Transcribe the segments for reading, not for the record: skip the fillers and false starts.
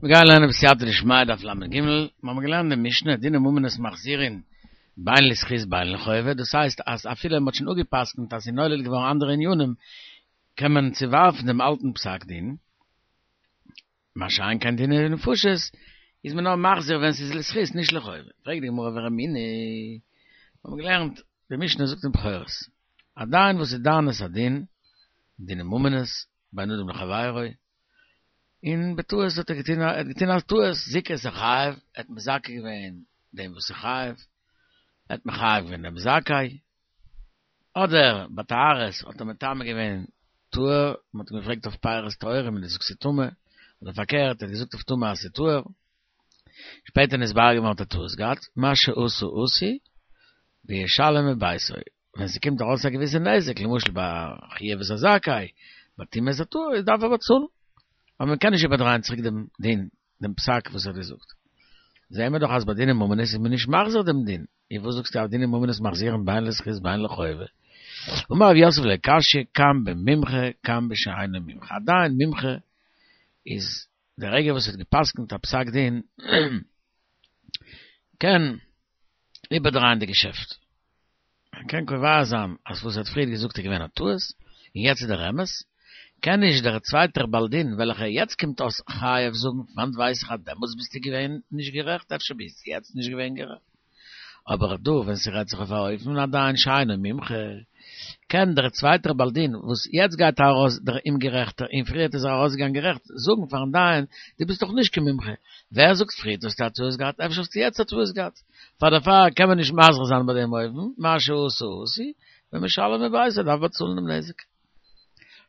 מיר גייען לערנען בסייעתא דשמיא דף לג, מיר האבן געלערנט די משנה, דיני ממונות מחזירין בין לזכות בין לחובה, דאס הייסט אז אפילו מען האט שוין אפגע'פסק'נט אז ס'איז נולד געווארן אנדערע ענינים, קען מען צוווארפן דעם אלטן פסק דין, מה שאין כן דיני נפשות איז מען נאר מחזיר ווען ס'איז לזכות נישט לחובה. פרעגט די גמרא ורמינהי, מיר האבן געלערנט די משנה זאגט אין בכורות, א דיין וואס איז דן את הדין, דיני ממונות, בין אדם לחבירו, און בטעות האט ער געטון ער האט געטון א טעות, זיכה את החייב, ער האט מזכה געווען דעם וואס איז חייב, ער האט מחייב געווען דעם זכאי, אדער ביי טהרות האט ער מטמא געווען טהור, מען האט אים געפרעגט אויף פירות טהורים און ער האט געזאגט ס'איז טמא, אדער פארקערט ער האט געזאגט אויף טמא אז ס'איז טהור, שפעטער נתברר געווארן האט ער טעות געהאט, מה שעשה עשוי, וישלם מביתו, ווען ס'קומט ארויס א געוויסע נזק, למשל ביי חייב את הזכאי, ביי טמא את הטהור, איז דארף ער באצאלן, אבער מען קען נישט איבערדרייען צוריק דעם דין, דעם פסק וואס ער האט געזאגט. זעהן מיר דאך אז ביי דיני ממונות איז מען נישט מחזיר דעם דין, און וואס זאגסטו אז דיני ממונות מחזירין בין לזכות בין לחובה? אמר רב יוסף לא קשיא כאן במומחה כאן בשאינו מומחה, א דיין מומחה איז די רגע וואס ער האט גע'פסק'נט א פסק דין קען איבערדרייען די געשעפט, ער קען קובע זיין אז וואס ער האט פריער געזאגט איז געווען א טעות און יעצט איז דער אמת, קען נישט דער צווייטער בעל דין וועלכער יעצט קומט אויס חייב זאגן פון וואנט ווייס איך אז דעמאלטס ביסטו געווען נישט גערעכט אפשר ביסטו יעצט נישט געווען גערעכט. אבער דא ווען ס'רעדט זיך אויף א אופן א דיין שאינו מומחה, קען דער צווייטער בעל דין וואס יעצט גייט ארויס דער אומגערעכטער און פריערט איז ער ארויסגעגאנגען גערעכט, זאגן פארן דיין דו ביסט דאך נישט קיין מומחה, ווער זאגט פריערט האסטו א טעות געהאט אפשר האסטו יעצט א טעות געהאט, פאר דערפאר קען מען נישט מחזיר זיין ביי דעם אופן, מה שעשה עשוי, ומשלם מביתו דארף באצאלן דעם נזק.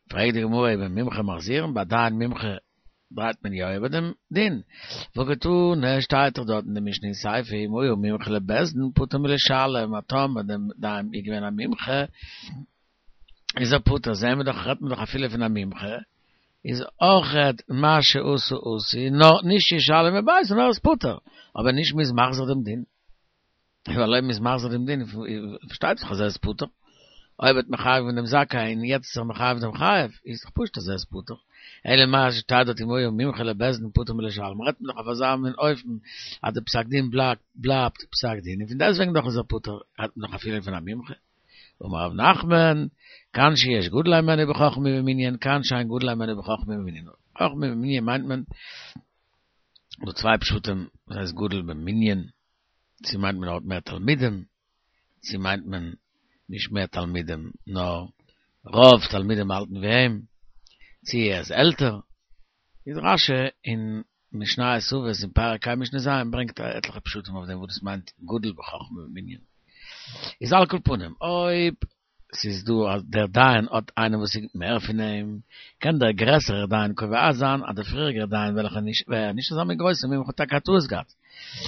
פרעגט די גמרא ובמומחה מחזירין ביי דיין מומחה דרייט מען יא איבער דעם דין. והא קתני שטייט דאך דארט אין די משנה אין סיפא אם היה מומחה לבית דין פטור מלשלם אז טאמער דער דיין איז געווען א מומחה איז ער פטור זעהן מיר דאך רעדט מען דאך אפילו פון א מומחה איז אויכעט מה שעשה עשוי נאר נישט ישלם מביתו נאר ער איז פטור אבער נישט מ'איז מחזיר דעם דין. ווייל אויב מ'איז מחזיר דעם דין, פארשטייט זיך אז ער איז פטור. אויב האט מחייב געווען דעם זכאי און יעצט איז ער מחייב דעם חייב, איז דאך פשוט אז ער איז פטור. אלא מאי שטייט דארט אם היה מומחה לבית דין פטור מלשלם, רעדט מען דאך אויף אזא מין אופן אז די פסק דין בלייבט פסק דין, און פון דעסטוועגן דאך איז ער פטור, רעדט מען דאך אפילו פון א מומחה. אמר רב נחמן, כאן שיש גדול הימנו בחכמה ובמנין, כאן שאין גדול הימנו בחכמה ובמנין. חכמה ובמנין מיינט מען דא צוויי פשטים, וואס הייסט גדול במנין? צו מיינט מען ער האט מער תלמידים, צו מיינט מען נישט מער תלמידים נאר רוב תלמידים האלטן ווי אים, צו ער איז עלטער, איז רש"י אין משניות אבות אין פרק ה' משנה ז' ברענגט עטליכע פשטים אויף דעם וואס דאס מיינט גדול בחכמה ובמנין. איז על כל פנים אויב ס'איז דא אז דער דיין האט איינעם וואס איז מער פון אים, קען דער גרעסערער דיין קובע זיין אז דער פריעריגער דיין וועלכער נישט ווער נישט אזא מין גרויסער מומחה האט טאקע א טעות געהאט,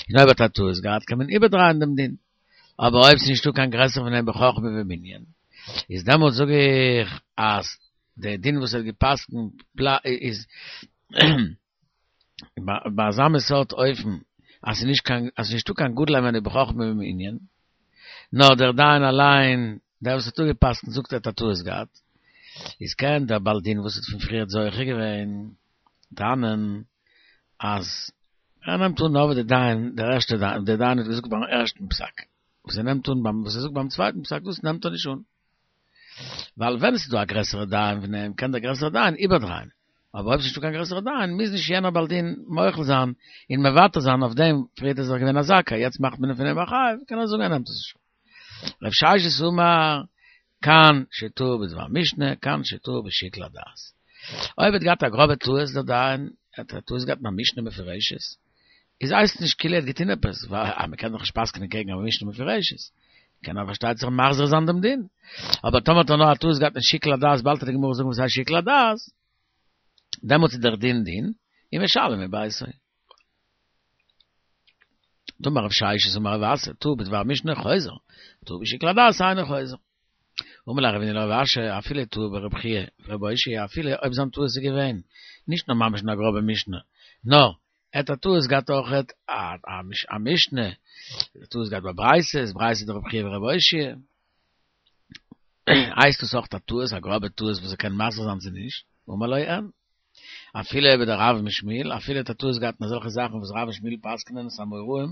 און אויב האט ער א טעות געהאט קען מען איבערדרייען דעם דין. אבער אויב ס'איז נישטא קיין גרעסער פון אים בחכמה ובמנין, איז דעמאלט זאג איך אז דער דין וואס ער האט גע'פסק'נט איז ביי אזא מין סארט אופן אז ס'איז נישט קיין אז ס'איז נישטא קיין גדול הימנו בחכמה ובמנין, נאר דער דיין אליין, דער וואס האט אפגע'פסק'נט זאגט ער האט א טעות געהאט, איז קען דער בעל דין וואס האט פון פריערט זוכה געווען טענה'ן אז ער נעמט אן נאר וואס דער דיין, דער ערשטער דיין, דער דיין האט געזאגט ביים ערשטן פסק, וואס ער נעמט אן ביים וואס ער זאגט ביים צווייטן פסק דאס נעמט ער נישט אן. ווייל ווען עס איז דא א גרעסערע דיין פון אים קען דער גרעסערע דיין איבערדרייען, אבער אויב עס איז נישטא קיין גרעסערע דיין מוז נישט יענער בעל דין מוחל זיין און מוותר זיין אויף דעם, פריערט איז ער געווען א זכאי יעצט מאכט מען פון אים א חייב, קען ער זאגן ער נעמט עס נישט אן. רב ששת אמר, כאן שטעה בדבר משנה, כאן שטעה בשיקול הדעת. אויב האט געהאט א גראבע טעות דער דיין, ער האט א טעות געהאט אין א משנה מפורשת, איז הייסט נישט כאילו ער האט געטון עפעס, ווייל אז מ'קען דאך נישט פסק'נען קעגן א משנה מפורשת, קען ער פארשטייט זיך מחזיר זיין דעם דין. אבער טאמער האט ער נאר א טעות געהאט אין שיקול הדעת, באלד וועט די גמרא זאגן וואס הייסט שיקול הדעת, דעמאלטס איז דער דין דין, און משלם מביתו. דאמר רב ששת אמר רב אסי, טעה בדבר משנה חוזר, טעה בשיקול הדעת אינו חוזר. אמר ליה רבינא לרב אשי, אפילו טעה ברבי חייא ורבי אושעיא, אפילו אויב זיין טעות איז געווען נישט נאר ממש אין א גראבע משנה, נאר ער האט א טעות געהאט אויכעט א משנה, טעות געהאט ביי ברייתות, ברייתא דרבי חייא ורבי אושעיא, הייסט דאס אויך א טעות, א גראבע טעות וואס ער קען מחזיר זיין צו נישט? אמר לו אין. אפילו איבער דער רב משמיל, אפילו האט א טעות געהאט אין אזעלכע זאכן וואס רב ושמואל פסק'נען עס אמוראים,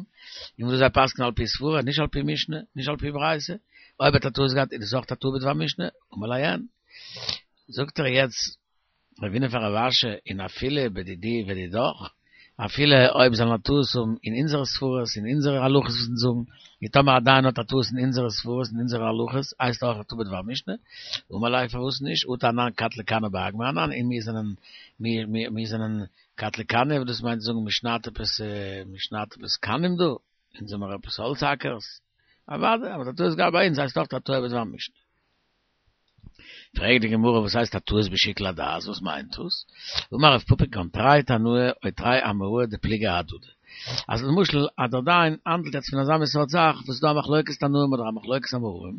און וואס זיי פסק'נען על פי סברה, נישט על פי משנה, נישט על פי ברייתא, אויב האט א טעות געהאט איז דאס אויך א טעה בדבר משנה, אמר ליה אין. זאגט ער יעצט רבינא פאר רב אשי און אפילו בדידי ודידך, אפילו אויב זאל א טעות האבן אין אונזערע סברות אין אונזערע הלכות וואס אונז זאגן, און טאמער א דיין האט א טעות אין אונזערע סברות אין אונזערע הלכות, הייסט אויך א טעה בדבר משנה, אמר ליה פארוואס נישט, אטו אנן קטלי כרנא באגמא אנן, און מיר זענען מיר מיר מיר זענען קטלי כרנא, וואס דאס מיינט זאגן מ'שניידט עפעס מ'שניידט עפעס קנים דא, אונז זעמער עפעס האלץ האקערס, אוודאי, אבער א טעות געהאט ביי אונז הייסט אויך א טועה בדבר משנה. פרעגט די גמרא וואס הייסט א טעות בשיקול הדעת, וואס מיינט דאס? אמר רב פפא כגון תרי תנאי או תרי אמוראי דפליגי אהדדי. אז למשל אז דער דיין האנדלט יעצט פון אזא מין סארט זאך וואס איז דא א מחלוקת תנאים אדער א מחלוקת אמוראים,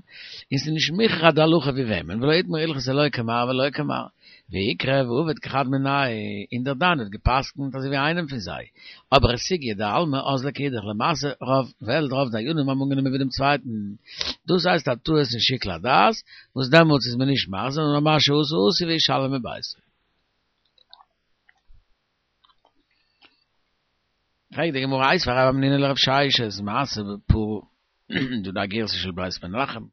און ס'איז נישט מוכרח אז די הלכה ווי וועמען, ולא איתמר הלכתא לא כמר ולא כמר, ויקרא ועביד כחד מינייהו, און דער דיין האט גע'פסק'נט אזוי ווי איינעם פון זיי, אבער סוגיא דעלמא אזלא כאידך, למעשה רוב וועלט רוב דיינים האבן אנגענומען ווי דעם צווייטן, דאס הייסט א טעות אין שיקול הדעת, וואס דעמאלטס איז מען נישט מחזיר נאר מה שעשה עשוי וישלם מביתו. פרעגט די גמרא איתיביה רב המנונא לרב ששת מעשה בפרה דא די גירסא של בית מנחם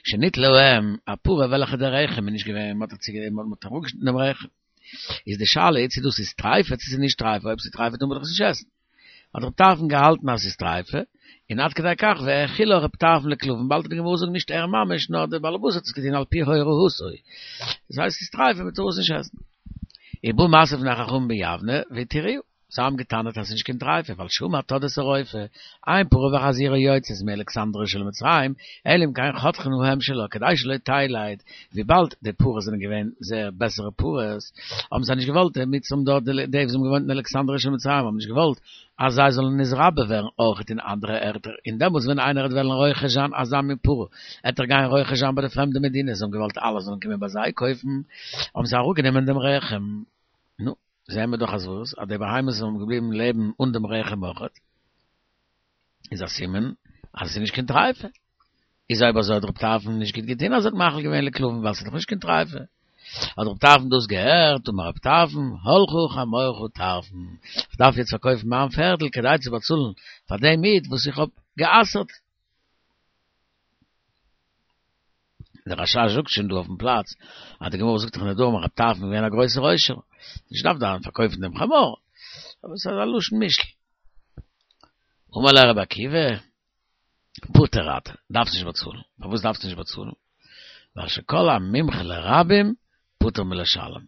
שניטלה האם א פרה וועלכע דער רחם איז נישט געווען מ'האט מ'האט אראפגעשניטן דעם רחם איז די שאלה צו דאס איז טרייפה צו ס'איז נישט טרייפה אויב ס'איז טרייפה טאר מען דאך עס נישט עסן האט רב טרפון געהאלטן אז ס'איז טרייפה און עד כדי כך והאכילה רב טרפון לכלבים באלד וועט די גמרא זאגן נישט ער ממש נאר דער בעל הבית האט עס געטון על פי הוראתו דאס הייסט ס'איז טרייפה מ'טאר עס נישט עסן. ובא משא לפני חכמים ביבנה והתירוה. זיי האבן געטענה'ט אז ס'איז נישט קיין טרייפה, ווייל שאמר תדרת הרופא, אין פרה וחזירה יוצאות מאלכסנדריא של מצרים, אלא אם כן חותכין האם שלה כדי שלא תלד, וויבאלד די פרות זענען געווען זייער בעסערע פרות, האבן זיי נישט געוואלט, די מצרים דארט, די וואס האבן געוואוינט אין אלכסנדריא של מצרים האבן נישט געוואלט אז זיי זאלן נתרבה ווערן אויכעט אין אנדערע ערטער, און דעמאלטס ווען איינער וועט וועלן רוכש זיין אזא מין פרה, עט ער גיין רוכש זיין ביי די פרעמדע מדינות, זיי האבן געוואלט אלע זאלן קומען ביי זיי קויפן, האבן זיי אראפגענומען דעם רחם. נו. זעהן מיר דאך אז וואס? אז די בהמות זענען געבליבן לעבן אן דעם רחם אויכעט, איז א סימן אז עס איז נישט קיין טרייפה. איז אויב אזוי האט רב טרפון נישט גוט געטון אז ער האט מאכיל געווען לכלבים ווייל עס איז דאך נישט קיין טרייפה. האט רב טרפון דאס געהערט, אמר רב טרפון, הלכה חמורך טרפון, איך דארף יעצט פארקויפן מיין פערדל כדי צו באצאלן פאר דעם איד וואס איך האב גע'אסר'ט. דער רשש זאגט שוין דא אויפן פלאץ אז די גמרא זאגט דאך אין נדרים רב טרפון איז געווען א גרויסער עושר, נישט געדארפט דארפן פארקויפן דעם חמור, אבער עס איז א לשון משל. אמר ליה רבי עקיבא, פטור אתה, דארפסט נישט באצאלן. פארוואס דארפסטו נישט באצאלן? ווייל שכל המומחה לרבים פטור מלשלם.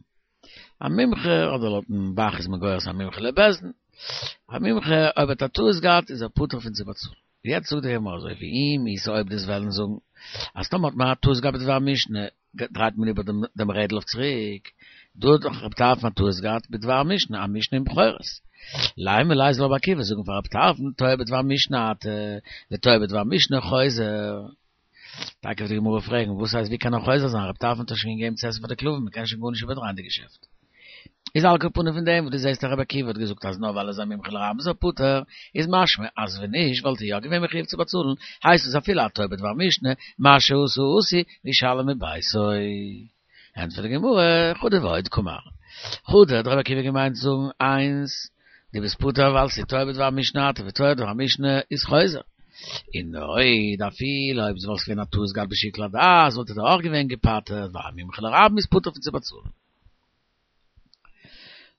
א מומחה, אדער לויטן ב"ח איז מען גורס א מומחה לבית דין, א מומחה אויב האט א טעות געהאט איז ער פטור פון צו באצאלן. יעצט זאגט די גמרא אזוי ואם איתא אויב דו'סט וועלן זאגן אז טאמער האט מען א טעות געהאט בדבר משנה דרייט מען איבער דעם רעדל אויף צוריק, דא האט דאך רב טרפון א טעות געהאט בדבר משנה, א משנה אין בכורות. לימא ליה זאל רבי עקיבא זאגן פאר רב טרפון טועה בדבר משנה אתה וטועה בדבר משנה חוזר. טאקע וועט די גמרא פרעגן וואס הייסט ווי קען ער חוזר זיין רב טרפון האט דאך שוין געגעבן צו עסן פאר די כלבים מען קען שוין גארנישט איבערדרייען די געשעפט. איז על כל פנים פון דעם וואס דו זעסט אז רבי עקיבא האט געזאגט אז נאר ווייל ער איז א מומחה לרבים איז ער פטור, איז משמע אז ווען נישט וואלט ער יא געווען מחויב צו באצאלן, הייסט עס אפילו א טועה בדבר משנה, מה שעשה עשוי, וישלם מביתו. ענטפערט די גמרא, חדא ועוד קאמר. חדא האט רבי עקיבא געמיינט זאגן איינס, דו ביסט פטור ווייל ס'איז טועה בדבר משנה אתה וטועה בדבר משנה איז חוזר. און ועוד אפילו אויב ס'וואלט געווען א טעות געהאט בשיקול הדעת וואלט ער דאך אויך געווען געפטר'ט ווייל א מומחה לרבים איז פטור פון צו באצאלן.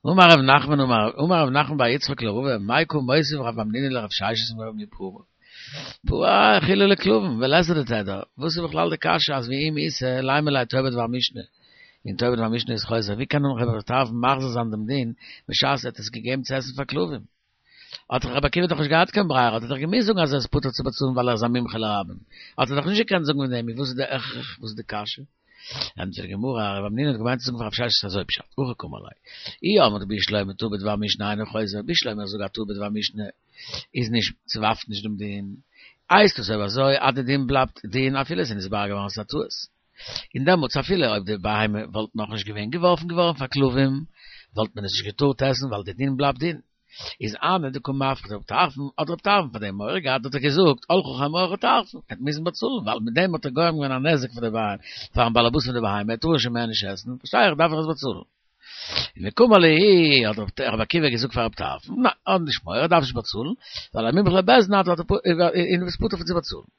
אמר רב נחמן אמר רב נחמן בר יצחק לרבא מאי קא מותיב רב המנונא לרב ששת מפרה פרה האכילה לכלבים ולית לה תדיר וואס איז בכלל די קשיא אז ואם איתא לימא ליה טועה בדבר משנה און טועה בדבר משנה איז חוזר ווי קען רב טרפון מחזיר זיין דעם דין בשעת ער האט עס געגעבן צו עסן פאר כלבים האט דאך רבי עקיבא דאך נישט געהאט קיין ברירה האט ער דאך געמוזט זאגן אז ער איז פטור צו באצאלן ווייל ער איז א מומחה לרבים האט ער דאך נישט געקענט זאגן פון דעם וואס איז די הכרח וואס איז די קשיא ענטפערט די גמרא, רב המנונא האט געמיינט צו זאגן פאר רב ששת אזוי פשט, הכי קאמר ליה, אי אמרת בשלמא טעה בדבר משנה אינו חוזר, בשלמא איך זאג א טעה בדבר משנה איז נישט, ס'ווארפט נישט דעם דין, הייסט עס אויב אזוי אז די דין בלייבט דין אפילו עס איז נתברר געווארן אז עס איז א טעות, און דעמאלטס אפילו אויב די בהמה וואלט נאכנישט געווען געווארפן געווארן פאר כלבים וואלט מען עס נישט געטארט עסן ווייל די דין בלייבט דין. איז הני דקא מפחיד רב טרפון, האט רב טרפון פאר דעם מורא געהאט האט ער געזאגט הלכה חמורך טרפון, ער האט מוזן באצאלן ווייל מיט דעם האט ער גורם געווען א נזק פאר די בהמה, פארן באלעבאס פון די בהמה, ער טאר עס שוין מער נישט עסן, פארשטיי איך דארף איך עס באצאלן. און וקאמר להו האט רבי עקיבא געזאגט פאר רבי טרפון, ניין, האב נישט מורא, דארף נישט באצאלן, ווייל א מומחה לבית דין אתה און דו ביסט פטור פון צו באצאלן.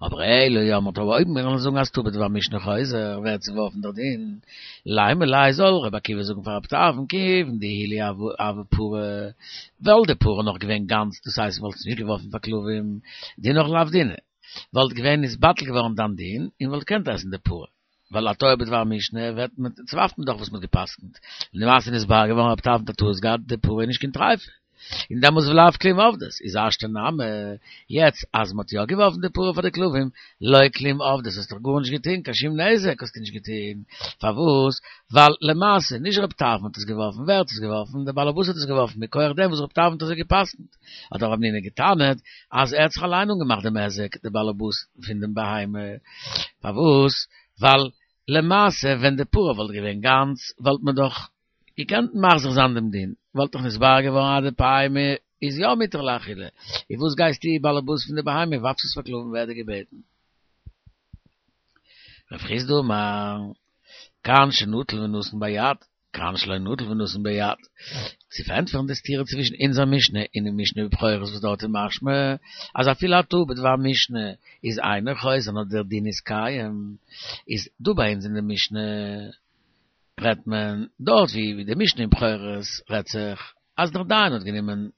אבער אלא אי אמרת אויב מיר וועלן זאגן אז טעה בדבר משנה חוזר ווערט צוווארפן דער דין, לימא ליה זאל רבי עקיבא זאגן פאר רבי טרפון כיוון דעילא הוה פרה, וואלט די פרה נאך געווען גאנץ דאס הייסט מ'וואלט עס נישט געווארפן פאר כלבים, דינך לאו דינא, וואלט געווען נתבטל געווארן דיין דין און וואלט געקענט עסן די פרה. ווייל א טועה בדבר משנה ווערט מען צוווארפט מען דאך וואס מ'האט גע'פסק'נט, און למעשה נתברר געווארן רבי טרפון האט א טעות געהאט די פרה איז נישט קיין טריפה, און דעמאלס ולאו כלום עבדת, איז השתא נמי, יעצט אז מ'האט יא געווארפן די פרה פאר די כלבים, לא כלום עבדת האסט דאך גארנישט געטון, קיין שום נזק האסטו נישט געטון, פארוואס? ווייל למעשה נישט רבי טרפון האט עס געווארפן, ווער האט עס געווארפן? דער בעל הבית האט עס געווארפן מכח דעם וואס רבי טרפון האט אזוי גע'פסק'נט, האט רב המנונא גע'טענה'ט אז ער האט זיך אליין אנגעמאכט דעם היזק, דער בעל הבית פון דעם בהמה, פארוואס? ווייל למעשה ווען די פרה וואלט געווען גאנץ וואלט מען דאך געקענט מחזיר זיין דעם דין, וואלט דאך נתברר געווארן אז די בהמה איז יא מותר לאכילה, איז וואס גייסטו בעל הבית פון די בהמה ווארפסט עס פאר כלבים ווער האט דיר געבעטן? רב חסדא אמר, כאן שנטל ונתן ביד, כאן שלא נטל ונתן ביד. צו פארענטפערן די סתירה צווישן אונזער משנה און די משנה בבכורות וואס דארט איז משמע אז אפילו א טעה בדבר משנה איז אינו חוזר נאר דער דין איז קיים, איז דא ביי אונז אין די משנה רעדט מען דארט ווי די משנה אין בכורות רעדט זיך אז דער דיין האט גענומען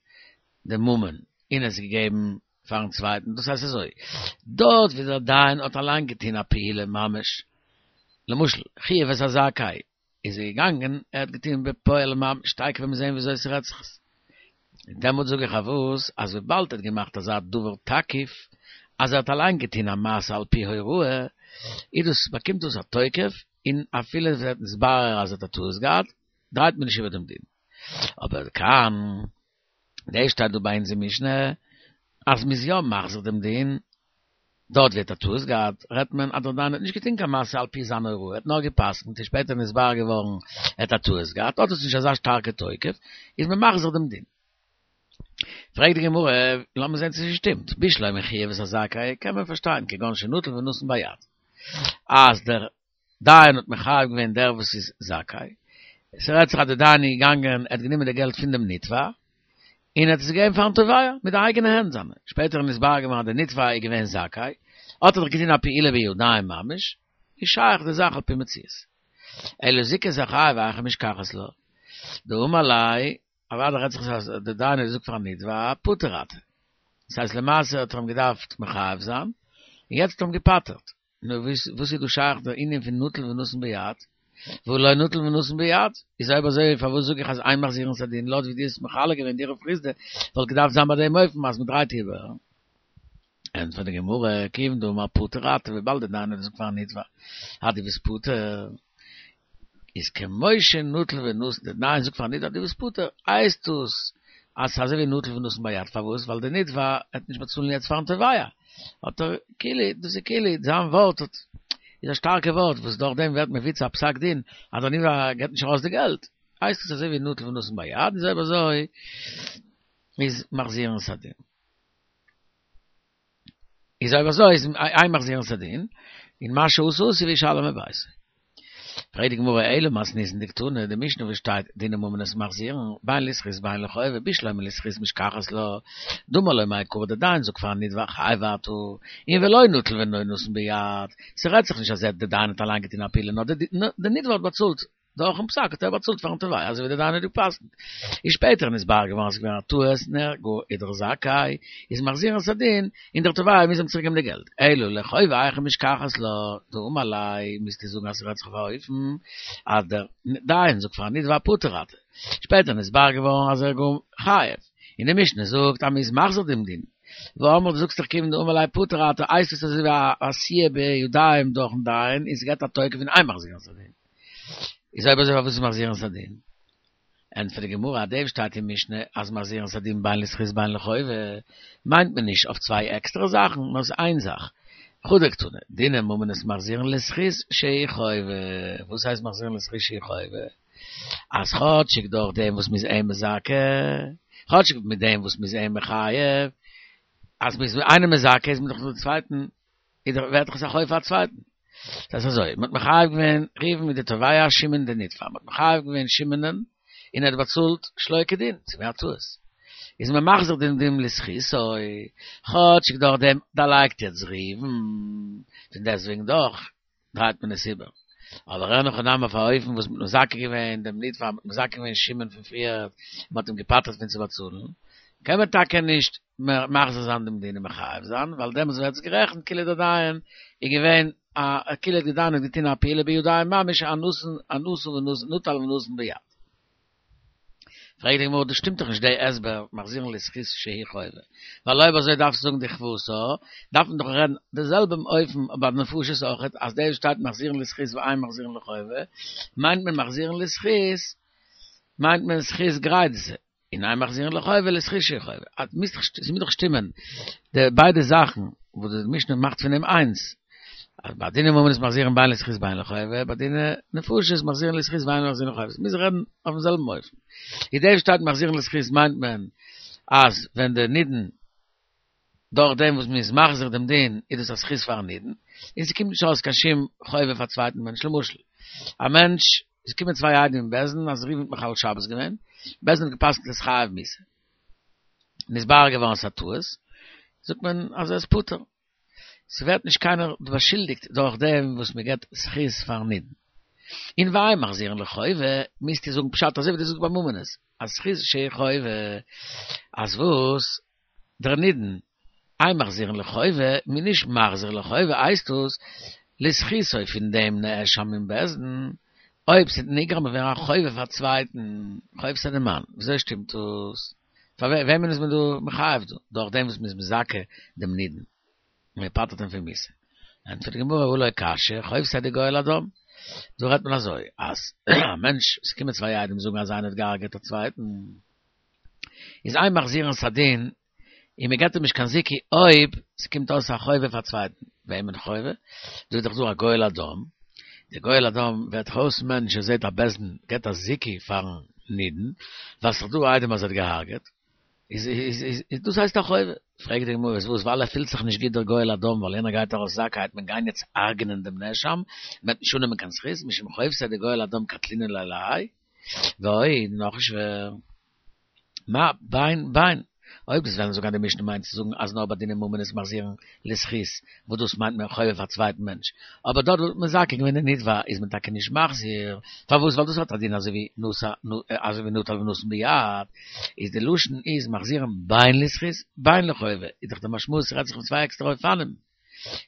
די ממון און עס געגעבן פארן צווייטן, דאס הייסט אזוי, דארט ווי דער דיין האט אליין געטון א פעולה ממש, למשל חייב את הזכאי, איז ער געגאנגען, ער האט געטון בפועל ממש, תיכף וועט מען זען וויאזוי ס'רעדט זיך עס. און דעמאלט זאג איך אויף וואס, אז וויבאלד ער האט געמאכט אזא דבר תקיף, אז ער האט אליין געטון א מעשה על פי הוראה, איז דאס, באקומט דאס א תוקף, און אפילו עס ווערט נתברר אז ער האט א טעות געהאט, דרייט מען נישט איבער דעם דין. אבער כאן, דא שטייט דא ביי אונז אין משנה, אז מ'איז יא מחזיר דעם דין, דארט ווי ער האט א טעות געהאט, רעדט מען אז דער דיין האט נישט געטון קיין מעשה על פי זיין הוראה, ער האט נאר גע'פסק'נט און שפעטער נתברר געווארן ער האט א טעות געהאט, האט עס נישט אזא שטארקע תוקף, איז מען מחזיר דעם דין. פרעגט די גמרא, לאמיר זען צו ס'שטימט, בשלמא חייב את הזכאי, קען מען פארשטיין, כגון שנטל ונתן ביד, אז דער דיין האט מחייב געווען דער וואס איז זכאי, ס'רעדט זיך אז דער דיין איז געגאנגען, ער האט גענומען די געלט פון דעם נתבע, און ער האט עס געגעבן פארן תובע מיט די אייגענע הענט זיינע, שפעטער איז נתברר געווארן אז דער נתבע איז געווען זכאי, האט ער דאך געטון א פעולה בידיים ממש, איז שייך די זאך על פי מציאות. אלא זיכה את החייב היכי משכחת לה, דאמר ליה, אוודאי רעדט זיך אז דער דיין האט געזאגט פארן נתבע פטור אתה, דאס הייסט למעשה האט ער אים געדארפט מחייב זיין, און יעצט האט ער אים געפטר'ט. נו וואס איז דא שייך דער ענין פון נטל ונתן ביד? והא לא נטל ונתן ביד? איז אויב אזוי פארוואס זאג איך אז אין מחזירין את הדין לויט ווי דו האסט מחלק געווען דיר רב חסדא וואלט געדארפט זיין ביי דעם אופן אז מ'דרייט איבער? ענטפערט די גמרא, כיוון דאמר פטור אתה וויבאלד דער דיין האט געזאגט פארן נתבע אז דו ביסט פטור איז כמו שנטל ונתן, דער דיין זאגט פארן נתבע דו ביסט פטור הייסט דאס אז ס'איז אזוי ווי נטל ונתן ביד פארוואס ווייל דער נתבע העט נישט באצאלן יעצט פארן תובע האט ער כאילו דאס איז כאילו זיין ווארט האט איז א שטארקע ווארט וואס דורך דעם ווערט מבוצע א פסק דין אז דער נתבע געבט נישט ארויס די געלט הייסט עס אזוי ווי נטל ונתן ביד איז אויב אזוי איז מחזירין את הדין. איז אויב אזוי איז אין מחזירין את הדין, און מה שעשה עשוי וישלם מביתו. פרעגט די גמרא אלא מתניתין דקתני, די משנה וואס שטייט דיני ממונות מחזירין, בין לזכות בין לחובה, בשלמא לזכות משכחת לה, דאמר לא מעיקרא דער דיין זאגט פארן נתבע חייב אתה, און ולא נטל ונתן ביד, ס'רעדט זיך נישט אז ער דער דיין האט אליין געטון א פעולה נאר דער נתבע האט באצאלט דורכן פסק האט ער באצאלט פארן תובע אזוי ווי דער דיין האט געפסקנט. איז שפעטער נתברר געווארן אז ס'איז געווען א טעות און ער גאר איז דאך זכאי, איז מחזירין את הדין, און דער תובע מוז אים צוריק געבן די געלט. אלא לחובה היכי משכחת לה, דאמר ליה, מוזטו זאגן אז ס'רעדט זיך אויף א אופן אז דער דיין זאגט פארן נתבע פטור אתה. שפעטער נתברר געווארן אז ער איז גאר חייב. און די משנה זאגט אז מ'איז מחזיר דעם דין. והאמרת דו זאגסט דאך כיוון דאמר ליה פטור אתה הייסט עס אזוי ווי א עשיה בידיים דורכן דיין און ס'געט א תוקף און אין מחזירין את הדין. איז אויב אזוי פארוואס איז מחזירין את הדין? ענטפערט די גמרא אז דעם שטייט אין משנה אז מחזירין את הדין בין לזכות בין לחובה מיינט מען נישט אויף צוויי עקסטערע זאכן נאר ס'איז איין זאך. חדא קתני, דיני ממונות מחזירין לזכות שהוא חובה. וואס הייסט מחזירין לזכות שהוא חובה? אז כאטשיג דורך דעם וואס מ'איז אים מזכה, כאטשיג מיט דעם וואס מ'איז אים מחייב, אז מ'איז איינעם מזכה איז מען דאך דעם צווייטן, איז דאך ווערט דאך עס א חוב פאר א צווייטן. דאס איז אזוי, מ'האט מחייב געווען ראובן מיט די תובע שמעון די נתבע, מ'האט מחייב געווען שמעונ'ען און ער האט באצאלט שלא כדין, ס'איז געווען א טעות, איז מען מחזיר דעם דין לזכותו, כאטשיג דורך דעם דערלייגט יעצט ראובן, פון דעסטוועגן דאך דרייט מען עס איבער. אבער אין הכי נמי אויף א אופן וואס מ'האט מזכה געווען דעם נתבע, מ'האט מזכה געווען שמעון פון פריער, און מ'האט אים געפטר'ט פון צו באצאלן, קען מען טאקע נישט מחזיר זיין דעם דין און מחייב זיין, ווייל דעמאלטס ווערט עס גערעכנט כאילו דער דיין איז געווען א כאילו דער דיין האט געטון א פעולה בידיים ממש א נתן א נתן ונתן נטל ונתן ביד. פרעגט די גמרא דאס שטימט דאך נישט די הסבר מחזירין לזכות שהיא חובה, ווייל אויב אזוי דארפסטו זאגן דכוותה, דארף מען דאך רעדן די זעלבע אופן ביי נפשות אויכעט אז דאס שטייט מחזירין לזכות ואין מחזירין לחובה מיינט מען מחזירין לזכות מיינט מען זכות גרידתא און אין מחזירין לחובה לזכות שהיא חובה, ס'מוז דאך שטימען די ביידע זאכן וואס די משנה מאכט פון דעם איינס. אז ביי דיני ממונות מחזירין בין לזכות בין לחובה, ביי דיני נפשות מחזירין לזכות ואין מחזירין לחובה, מוז רעדן אויפן זעלבן אופן. איז דאס שטייט מחזירין לזכות מיינט מען אז ווען דער נידון דורך דעם וואס מ'איז מחזיר דעם דין איז דאס א זכות פארן נידון, און ס'קומט נישט אויס קיין שום חובה פאר צווייטן מענטש, למשל א מענטש, עס קומען צוויי עדים אין בית דין אז ראובן האט מחלל שבת געווען, בית דין האט גע'פסק'נט ער איז חייב מיתה, נתברר געווארן ס'איז א טעות, זאגט מען אז ער איז פטור. ס'ווערט נישט קיינער באשולדיגט דורך דעם וואס מ'געט זכות פארן נידון. און ואין מחזירין לחובה, מוזטו זאגן פשט אזוי ווי דו זאגסט ביי ממונות, אז זכות שהיא חובה, אז וואס? דער נידון, אין מחזירין לחובה, מ'איז נישט מחזיר לחובה הייסט עס לזכותו פון דעם נאשם אין בית דין, אויב ס'וועט נגרם ווערן א חובה פאר צווייטן, חוב ס'איז די מאן, וויאזוי שטימט דאס? פאר וועמען איז מען דא מחייב דא? דורך דעם וואס מען איז מזכה דעם נידון, און מען פטר'ט אים פון מיתה. ענטפערט די גמרא, הא לא קשיא, חובתיה דגואל הדם. דא רעדט מען אזוי, אז א מענטש, עס קומען צוויי עדים זאגן אז איינער האט געהארגעט א צווייטן, איז אין מחזירין את הדין, און מען געבט אים נישט קיין זיכוי אויב ס'קומט אויס א חובה פאר צווייטן. וועמען חובה? דא איז דאך דא א גואל הדם, דער גואל הדם ווערט אויס מענטש, ער זעט אז בית דין געבט א זיכוי פארן נידון, ווייל ס'איז דאך דא עדים אז ער האט געהארגעט, איז איז איז דאס הייסט א חובה. פרעגט די גמרא, איז וואס ווייל ער פילט זיך נישט גוט דער גואל הדם ווייל יענער גייט ארויס זכאי וועט מען גיין יעצט הרג'נען דעם נאשם, מען וועט נישט אננעמען קיין זכות, משום חובתיה דגואל הדם קטלינן ליה להאי, ועוד, נאך שווער. מה בין בין? אויב דו'סט וועלן זאגן אז די משנה מיינט צו זאגן אז נאר ביי דיני ממונות מחזירין לזכות, וואס דאס מיינט מען חובה פאר צווייטן מענטש, אבער דארט וואלט מען מזכה געווען די נתבע איז מען טאקע נישט מחזיר, פארוואס ווייל דאס האט א דין אזוי ווי נשא אזוי ווי נטל ונתן ביד, איז די לשון איז מחזירין בין לזכות בין לחובה, איז דאך די משמעות ס'רעדט זיך פון צוויי עקסטערע אופנים,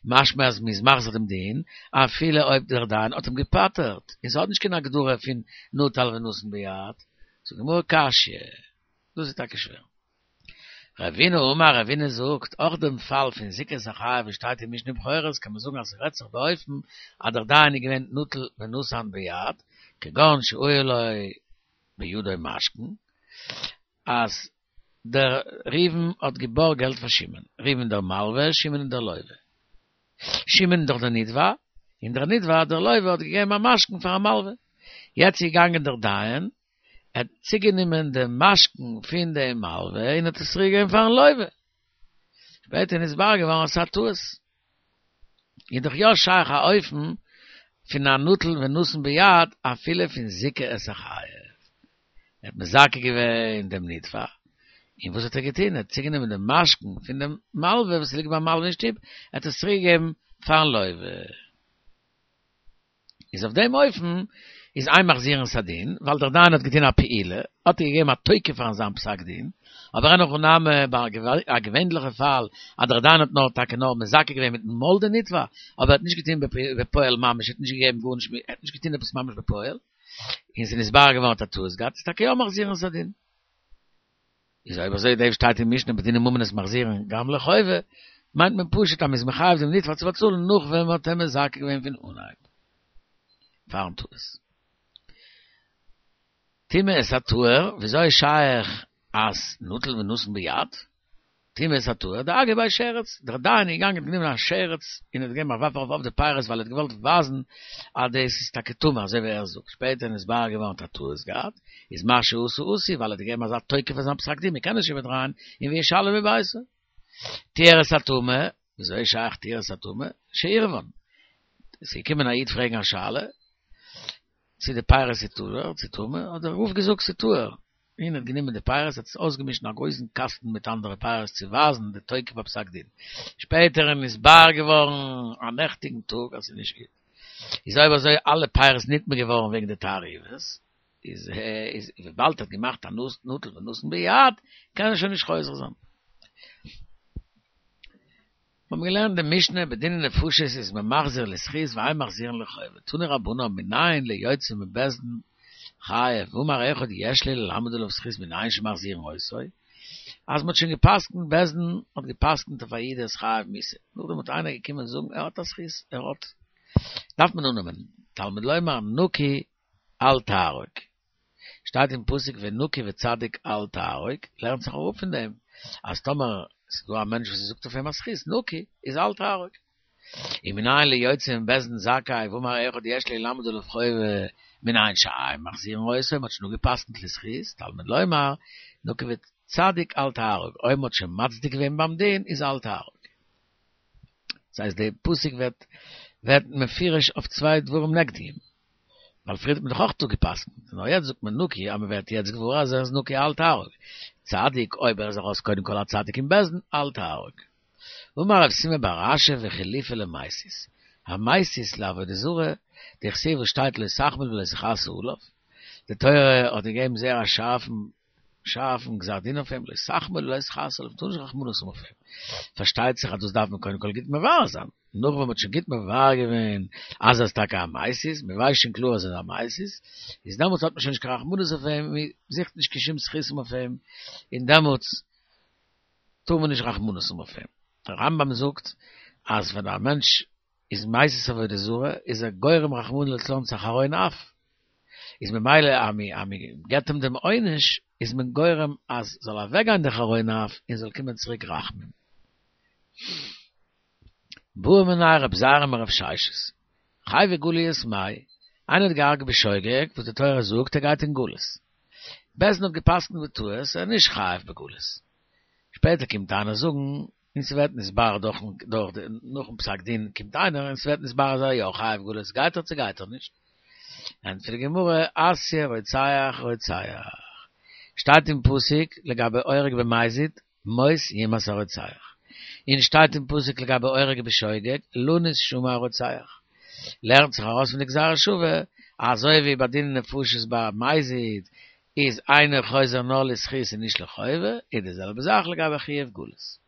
משמע אז מ'איז מחזיר דעם דין אפילו אויב דער דיין האט אים געפטר'ט, און ס'האט נישט קיין הגדרה פון נטל ונתן ביד, זאגט די גמרא קשיא, דאס איז טאקע שווער. רבינא אמר, רבינא זאגט, אויך דעם פאל פון זיכה את החייב וואס שטייט אין משנה בכורות קען מען זאגן אז ס'רעדט זיך באופן אז דער דיין איז געווען נטל ונתן ביד, כגון שהיה לו בידו משכון, אז דער ראובן האט געבארגט געלט פאר שמעון, ראובן דער מלווה, שמעון דער לווה. שמעון איז דאך דער נתבע, און דער נתבע, דער לווה, האט געגעבן א משכון פארן מלווה. יעצט איז געגאנגען דער דיין, ער האט צוגענומען דעם משכון פון דעם מלווה און האט עס צוריק געגעבן פארן לווה. שפעטער איז נתברר געווארן אז ס'איז א טעות. איז דאך יא שייך א אופן פון א נטל ונתן ביד אפילו פון זיכה את החייב. ער האט מזכה געווען דעם נתבע, און וואס האט ער געטון? ער האט צוגענומען דעם משכון פון דעם מלווה וואס ליגט ביים מלווה אין שטוב, ער האט עס צוריק געגעבן פארן לווה. איז אויף דעם אופן איז אין מחזירין את הדין, ווייל דער דיין האט געטון א פעולה, האט ער געגעבן א תוקף פארן זיין פסק דין, אבער אין הכי נמי ביי א געווענדליכע פאל אז דער דיין האט נאר טאקע נאר מזכה געווען מיטן מויל די נתבע, אבער ער האט נישט געטון בפועל ממש, ער האט נישט געגעבן גארנישט, ער האט נישט געטון עפעס ממש בפועל, און ס'איז נתברר געווארן האט א טעות געהאט, איז טאקע יא מחזירין את הדין. איז אויב אזוי דאס שטייט אין משנה בדיני ממונות מחזירין גם לחובה, מיינט מען פשוט אז מ'איז מחייב דעם נתבע צו באצאלן נאך ווען מ'האט אים מזכה געווען פון אנהייב פארן טעות. טמא את הטהור, וויאזוי איז שייך אז נטל ונתן ביד? טמא את הטהור, דאגר ביה שרץ, דער דיין איז געגאנגען האט גענומען א שרץ און האט געגעבן א ווארף ארויף אויף די פירות ווייל ער האט געוואלט ווייזן אז דאס איז טאקע טמא אזוי ווי ער זאגט, שפעטער איז נתברר געווארן האט א טעות געהאט, איז מה שעשה עשוי ווייל ער האט געגעבן אזא תוקף פאר זיין פסק דין מען קען נישט איבערדרייען און וישלם מביתו. טיהר את הטמא, וויאזוי איז שייך טיהר את הטמא? שעירבן. ס'איז געקומען א איד פרעגן א שאלה, צו די פירות איז טהור צו טמא, האט דער רב געזאגט ס'איז טהור, און האט גענומען די פירות האט עס אויסגעמישט אין א גרויסן קאסטן מיט אנדערע פירות צו ווייזן די תוקף הפסק דין, שפעטער איז נתבאר געווארן א נעכטיגן טאג אז ס'איז נישט גוט, איז אויב אזוי אלע פירות נטמא געווארן וועגן די תערובות, איז איז וויבאלד ער האט געמאכט א נטל ונתן ביד קען ער שוין נישט חוזר זיין. מיר האבן געלערנט די משנה בדיני נפשות איז מען מחזיר לזכות ואין מחזירין לחובה, תנו רבנן מנין ליוצא מבית דין חייב ואמר אחד יש לי ללמד עליו זכות מנין שמחזירין אותו, אז מ'האט שוין גע'פסק'נט בית דין האט גע'פסק'נט אויף א איד ער איז חייב מיתה, נאכדעם האט איינער געקומען זאגן ער האט א זכות ער האט דארף מען אננעמען תלמוד לומר נקי אל תהרוג. שטייט אין פסוק ונקי וצדיק אל תהרוג, לערנט זיך אראפ פון דעם אז טאמער ס'איז דא א מענטש וואס מ'זאגט אויף אים א זכות נקי איז אל תהרוג. ומנין ליוצא מבית דין זכאי ואמר אחד יש לי ללמד עליו חובה מנין שאין מחזירין אותו, מ'האט שוין אפגע'פסק'נט לזכות, תלמוד לומר נקי וצדיק אל תהרוג, אויב מ'האט שוין מצדיק געווען ביים דין איז אל תהרוג. דאס הייסט די פסוק ווערט ווערט מפורש אויף צוויי דברים נגדיים. ווייל פריער האט מען דאך אויך אפגע'פסק'נט, נאר יעצט זאגט מען נקי אז מען ווערט יעצט געוואר אז ער איז נקי אל תהרוג, צדיק אויב ער איז ארויס קודם כל א צדיק אין בית דין אל תהרוג. אמר רב סימא בר אשי וחילופא למסית, המסית לעבודה זרה, דכתיב וואס שטייט לא תחמול ולא תכסה עליו, די תורה האט געגעבן זייער א שארפן שארפן גזר דין אויף אים, לא תחמול ולא תכסה עליו, מ'טאר נישט רחמנות האבן אויף אים. פארשטייט זיך אז דאס דארף מען קודם כל גוט מברר זיין, נאך ווען מ'האט שוין גוט מברר געווען אז ער איז טאקע א מסית, מ'ווייסט שוין קלאר אז ער איז א מסית, איז דעמאלטס האט מען שוין נישט קיין רחמנות אויף אים, מ'זוכט נישט קיין שום זכותים אויף אים, און דעמאלטס טאר מען נישט רחמנות האבן אויף אים. דער רמב"ם זאגט אז ווען א מענטש איז מסית עבודה זרה, איז ער גורם רחמנא לצלן צו א חרון אף, איז ממילא אז מען געבט אים דעם עונש, איז מען גורם אז זאל אוועק גיין די חרון אף און זאל קומען צוריק רחמים. בעא מיניה רב זירא מרב ששת, חייבי גליות מאי, איינער האט געהארגעט בשוגג, וואס די תורה זאגט ער גייט אין גלות. בית דין האט געפסקנט בטעות, ער איז נישט חייב בגלות. שפעטער קומט איינער זאגן, און ס'ווערט נתברר דורכן דורך די נאכן פסק דין קומט איינער און ס'ווערט נתברר אז ער איז יא חייב גלות גייט ער צו גייט ער נישט? ענטפערט די גמרא אתיא רוצח רוצח שטייט אין פסוק לגבי הורג במזיד מות יומת הרוצח און שטייט אין פסוק לגבי הורג בשוגג לנוס שמה הרוצח לערנט זיך ארויס פון די גזירה שווה אזוי ווי ביי דיני נפשות ביי מזיד איז אינו חוזר נאר לזכות און נישט לחובה, איז די זעלבע זאך לגבי חיוב גלות.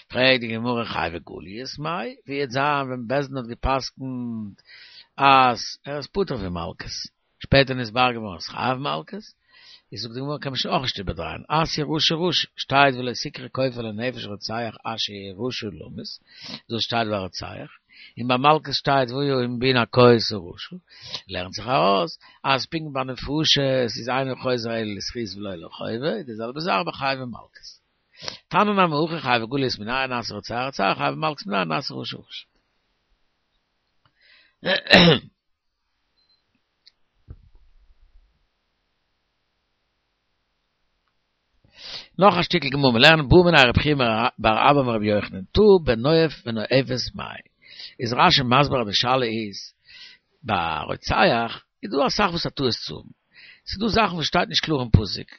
פרעגט די גמרא חייבי גליות מאי, ווי וועט זיין ווען בית דין האט גע'פסק'נט אז ער איז פטור פון מלקות, שפעטער נתברר געווארן אז חייב מלקות, איז זאגט די גמרא קען מען שוין אויך נישט איבערדרייען, אתיא רשע רשע, שטייט ולא תקרא כופר לנפש רוצח אשר יהיה רשע למות, דאס שטייט ביי רוצח. און ביי מלקות שטייט והיה אם בן הכות הרשע, לערנט זיך ארויס אז פונקט ביי נפשות איז אינו חוזר אלא לזכות ולא לחובה, איז די זעלבע זאך ביי חייבי מלקות. תניא נמי הכי חייבי גליות מנין אתיא רוצח רוצח חייבי מלקות מנין אתיא רשע רשע. נאך א שטיקל גמרא, מיר לערנען בעא מיניה רב חייא בר אבא מרבי יוחנן, טעה בנואף ונואפת מאי. איז רש"י מסביר אז די שאלה איז, ביי רוצח איז דא אסאך וואס א טעות צו האבן, ס'איז דא זאכן וואס שטייט נישט קלאר אין פסוק,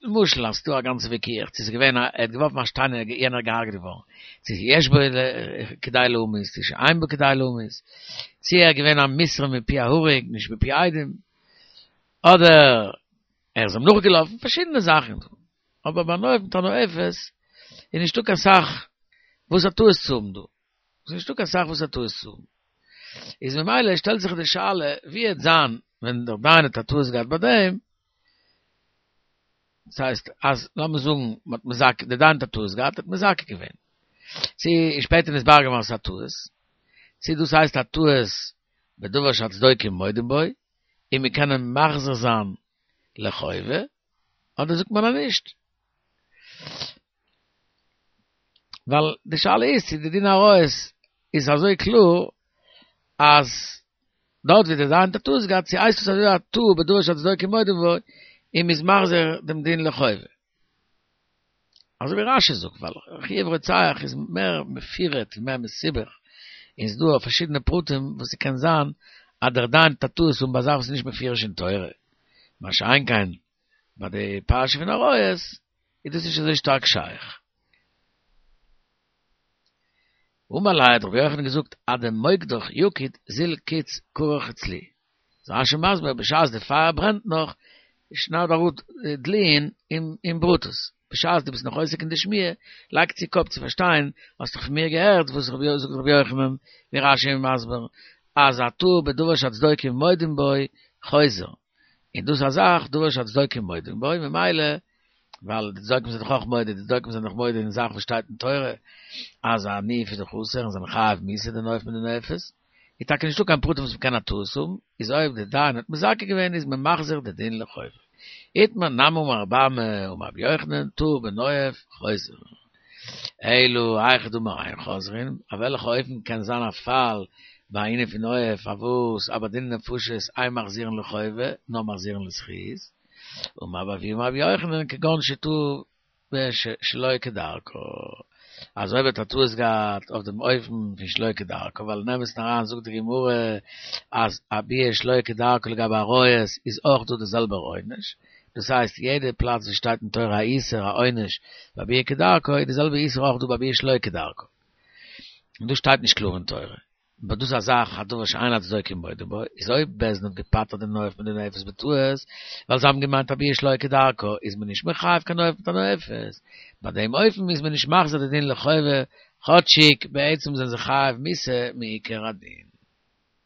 למשל אז ס'איז דא א גאנצע וויכוח צו ס'איז געווען א ער האט געווארפן א שטיין און יענער איז געהארגעט געווארן, צו יש בו כדי להמית צו שאין בו כדי להמית, צו ער איז געווען א מוסר מפי ההרוג נישט מפי עדים, אדער ער איז אים נאכגעלאפן, פארשידענע זאכן, אבער ביי נואף מיט א נואפת איז נישטא קיין סאך וואס א טעות צו האבן דא, ס'איז נישטא קיין סאך וואס א טעות צו האבן, איז ממילא שטעלט זיך די שאלה ווי וועט זיין ווען דער דיין האט א טעות געהאט ביי דעם, דאס הייסט אז לאמיר זאגן מ'האט מזכה, דער דיין האט א טעות געהאט האט מזכה געווען, צו איז שפעטער נתברר געווארן אז ס'איז א טעות, צו דאס הייסט א טעות בדבר שהצדוקים מודים בו, און מיר קענען מחזיר זיין לחובה, אדער זאגט מען אז נישט? ווייל די שאלה איז צו די דין עריות איז אזוי קלאר אז דארט ווי די דיין האט א טעות געהאט צו הייסט עס אזוי א טעה בדבר שהצדוקים מודים בו און מ'איז מחזיר דעם דין לחובה. אזוי ווי רש"י זאגט ווייל חיוב רוצח איז מער מפורט און מער מסובך. און ס'איז דא פארשידענע פרטים וואס ס'קען זיין אז דער דיין טוט א טעות און ביי א זאך וואס איז נישט מפורש אין תורה, מה שאין כן ביי די פרשה פון עריות איז דאס נישט אזוי שטארק שייך. אמר ליה האט רבי יוחנן געזאגט עד דמוקדך יקיד זיל קיץ כרך אצלי. איז רש"י מסביר בשעת די פייער ברענט נאך שנייד אראפ דלועין און ברוטוס, בשעת דו ביסט נאך עוסק אין די שמיעה לייג צו קאפ צו פארשטיין, האסט דאך פון מיר געהערט וואס זאגט רבי יוחנן ווי רש"י איז מסביר אז הטעה בדבר שהצדוקים מודים בו חוזר, און דאס איז א זאך דבר שהצדוקים מודים בו ממילא ווייל די צדוקים זענען דאך אויך מודה, די צדוקים זענען דאך מודה אין זאך וואס שטייט אין תורה אז א ניאוף איז דאך אסור און זענען חייב מיתה די נואף מיט די נואפת, איז טאקע נישטא קיין פרטים וואס מ'קען א טעות האבן, איז אויב די דיין האט מזכה געווען איז מען מחזיר די דין לחובו. איתמר נמי אמר רבי אמי אמר רבי יוחנן טעה בנואף חוזר. אלא היכא דאמר אין חוזרין, אויף וועלכע אופן קען זיין א פאל ביי א ענין פון נואף פארוואס אז ביי דיני נפשות אין מחזירין לחובה נאר מחזירין לזכות, אמר רבי אבהו אמר רבי יוחנן כגון שטעה בשלא כדרכה, אז אויב האט ער טעות געהאט אויף דעם אופן פון שלא כדרכה, ווייל אין אמת'ן אריין זאגט די גמרא אז א ביאה שלא כדרכה לגבי עריות איז אויך דא די זעלבער עונש, דאס הייסט יעדע פלאץ וואס שטייט אין תורה א איסור א עונש ביי ביאה כדרכה איז די זעלבע איסור אויך דא ביי ביאה שלא כדרכה, און דאס שטייט נישט קלאר אין תורה. אבער דאס איז א זאך א דבר שאין הצדוקים מודים בו, איז אויב בית דין האט געפטר'ט די נואף מיט די נואפת בטעות, ווייל זיי האבן געמיינט א ביאה שלא כדרכה, איז מען נישט מחייב קיין נואף מיט א נואפת, ביי דעם אופן איז מען נישט מחזיר די דין לחובה, כאטשיג בעצם זענען זיי חייב מיתה מעיקר הדין.